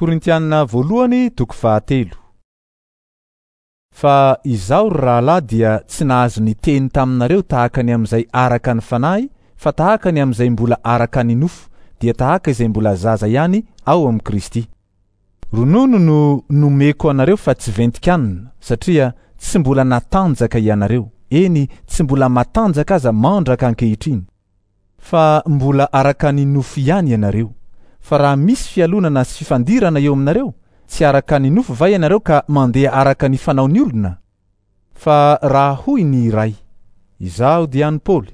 Korintiana voalohany toko fahatelo. Fa izaho ry rahalahy dia tsy nahazo niteny taminareo tahaka ny amin'izay araka ny fanahy, fa tahaka ny amin'izay mbola araka ny nofo, dia tahaka izay mbola zaza ihany ao amin'i Kristy. Ronono no nomeko anareo fa tsy ventin-kanina, satria tsy mbola natanjaka ianareo, eny, tsy mbola matanjaka aza mandraka ankehitriny. Fa mbola araka ny nofo ihany ianareo. Fa raha misy fialonana sy fifandirana eo aminareo, tsy araka ny nofo va ianareo ka mandeha araka ny fanaon'ny olona? Fa raha hoy ny iray, Izaho dia an'i Paoly,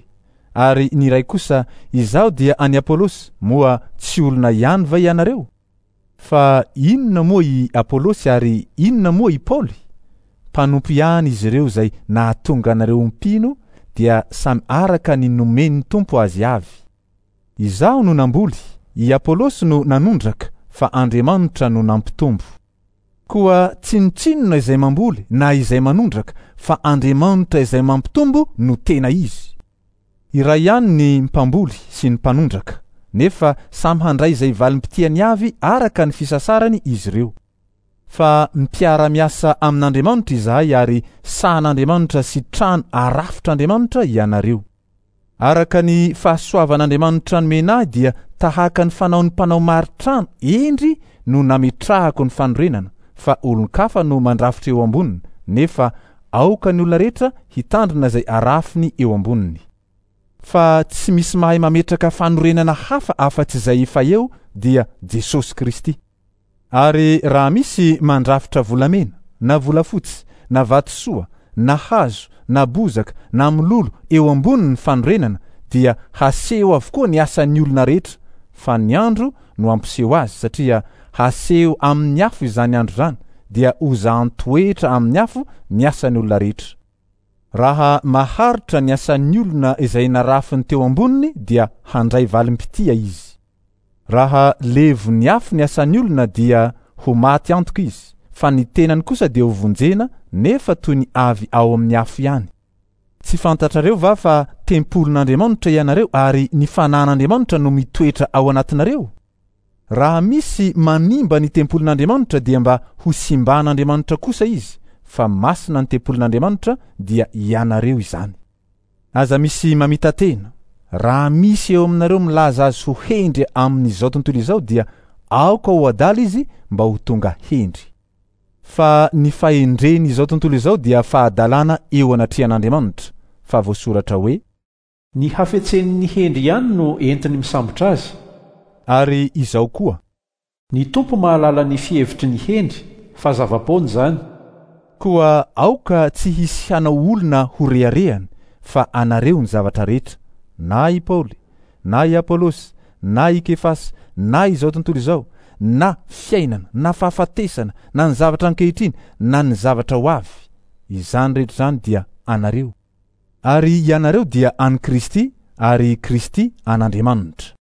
ary ny iray kosa, Izaho dia an'i Apolosy, moa tsy olona ihany va ianareo? Fa inona moa i Apolosy ary inona moa i Paoly? Mpanompo ihany izy ireo izay nahatonga anareo ho mpino dia samy araka ny nomen'ny Tompo azy avy. Izaho no namboly, i Apolosy no nanondraka, fa Andriamanitra no nampitombo. Koa tsinontsinona izay mamboly na izay manondraka, fa Andriamanitra izay mampitombo no tena izy. Iray ihany ny mpamboly sy ny mpanondraka, nefa samy handray izay valim-pitiany avy araka ny fisasarany izy ireo. Fa mpiara-miasa amin'Andriamanitra izahay ary sahan'Andriamanitra sy trano arafitr'Andriamanitra ianareo. Araka ny fahasoavan'Andriamanitra nomena ahy dia tahaka ny fanaon'ny mpanao mari-trano hendry no nametrahako ny fanorenana, fa olon-kafa no mandrafitra eo amboniny, nefa Aoka ny olona rehetra hitandrina izay arafiny eo amboniny. Fa tsy misy mahay mametraka fanorenana hafa afa-tsy izay efa eo dia Jesosy Kristy. Ary raha misy mandrafitra volamena, na volafotsy, na vatosoa, na hazo, na bozaka, na mololo eo amboniny ny fanorenana, dia haseho avokoa ny asan'ny olona rehetra, fa ny andro no hampiseho azy, satria haseho amin'ny afo izany andro izany, dia hozahan-toetra amin'ny afo ny asan'ny olona rehetra. Raha maharitra ny asan'ny olona izay narafiny teo amboniny dia handray valim-pitia izy. Raha levon'ny afo ny asan'ny olona dia ho maty antoka izy, fa ny tenany kosa dia hovonjena nefa toy ny avy ao amin'ny afo ihany. Tsy fantatrareo va fa tempolin'Andriamanitra ianareo ary ny Fanahin'Andriamanitra no mitoetra ao anatinareo? Raha misy manimba ny tempolin'Andriamanitra dia mba ho simban'Andriamanitra kosa izy, fa masina ny tempolin'Andriamanitra dia ianareo izany. Aza misy mamita-tena. Raha misy eo aminareo milaza azy ho hendry amin'izao tontolo izao dia aoka ho adala izy mba ho tonga hendry. Fa ny fahendren' izao tontolo izao dia fahadalana eo anatrehan' Andriamanitra, fa voasoratra hoe. Ny hafetsen' ny hendry ihany no entiny misambotra azy. Ary izao koa. Ny Tompo mahalala ny fihevitry ny hendry, fa zava-poana izany. Koa aoka tsy hisy hanao olona ho reharehany, fa anareo ny zavatra rehetra, na i Paoly, na i Apolosy, na i Kefasy, na izao tontolo izao, na fiainana, na fahafatesana, na ny zavatra ankehitriny, na ny zavatra ho avy, izany rehetra izany dia anareo. Ary ianareo dia an'i Kristy, ary Kristy an'Andriamanitra.